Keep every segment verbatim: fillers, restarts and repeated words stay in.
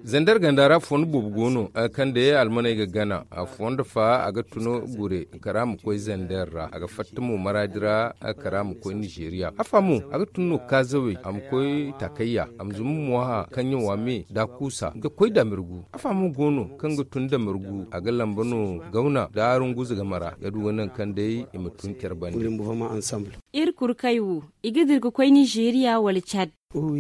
Zandar ganda ra fondo boobo go no, kaŋ day almaney ga gana. Fondo fa a ga tun gure kara ma koy zandar ra, a ga fatta mo maraadi ra, kara ma koy nizeeriya. Afa mo a ga tun no kaazawey, a ma koy takayya, a ma zuma mo ha kaŋ ɲawa me da kuusa ga koy damirgu. Afa mo go no kaŋ ga tun damirgu, a ga lamba no gawna da runguza game ra, ga du ga naŋ kaŋ day i ma tun care bande. Iri kurkay wo, i ga dira ga koy nizeeriya wala cad? Oho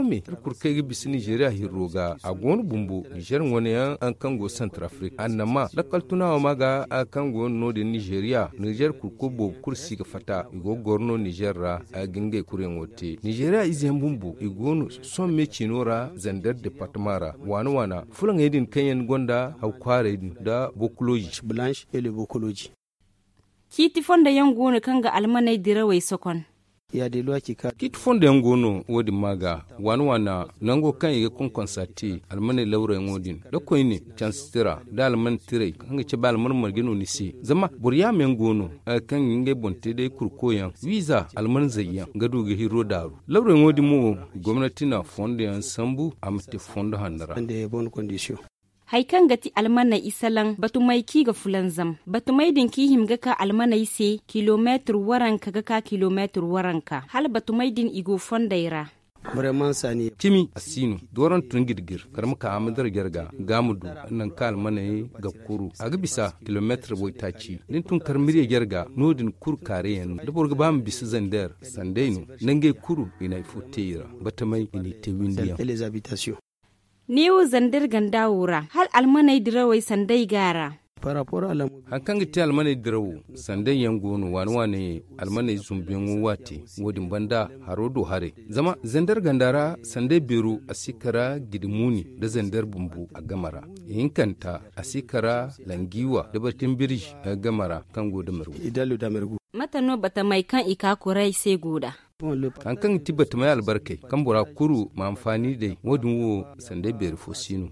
me, iri kulu kaŋ ay ga bisa nizeeriya hirro ga, a go no bumbo nizeer wane yaŋ kaŋ go santar afirika annama lakkal tuna wo ma ga, kaŋ go no no- din nizeeriya nizeer kurko boobo kulu si ga fatta i go ga goro no nizeer ra. Ga ngey kuryaŋo te nizeeriya ize yaŋ bumbo i go no sohõ me ciino ra zandar departama ra waana waana fulaŋey din kaŋ yaŋ gonda haw kwaaray din nda bokuloji. Ciiti fondo yaŋ go no kaŋ ga almaney dirawey sokon. Ciiti fondo yaŋ go no wo- din ma ga waana waana nango kaŋ i ga konkonsa te almaney lawrayaŋo din da koyne cansi tira da alman tiray kaŋ ga cabe alman marje no ni se. Zama boro yaama yaŋ go no kaŋ ga ngey boŋ te day kurko yaŋ wiiza alman zay yaŋ ga du ga hirro daaru. Lawrayaŋo din mo gomnati na fondo yaŋ sambu a ma te fondo hanno ra. Hari kaŋ ga ti almaney i salaŋ batumey kaŋ i ga fulanzam batumey din kaŋ i hima ga ka almaney se kilomeetir waranka ga ka kilomeetir waranka hala batumey din i go fondey ra. Cimi a si no doorantu ni ga di gir kar ma ka a ma dara jarga ga ma du nangu kaŋ almaney ga kuru a ga bisa kilomeetir waytaaci da ni tun kar mirye jarga no- din kuru kaare yaŋ no da boro ga ba ma bisa zander sanday no. Nangey kuru i na hari fo te i ra batamey i n'i te windi yaŋ. Neewo zander ganda wo ra hala almaney dirawey sanday go a ra. Hari kaŋ ga te almaney dirawo sanday yaŋ go no waane waane almaney zumbuyaŋo waate. Wo- din banda haro do haray zama zander ganda ra sanday beero a si kara gidi muuni nda zander bumbo a game ra. Ihinkanta a si kara langiiwa nda bartin birji game ra kaŋ go damergu. Mate no batamey kaŋ i ka kuray se go nd'a? Hari kaŋ ga ti batamey albarkey kaŋ bora kulu ma hanfaani day wo- din wo sanday beeri fo si no.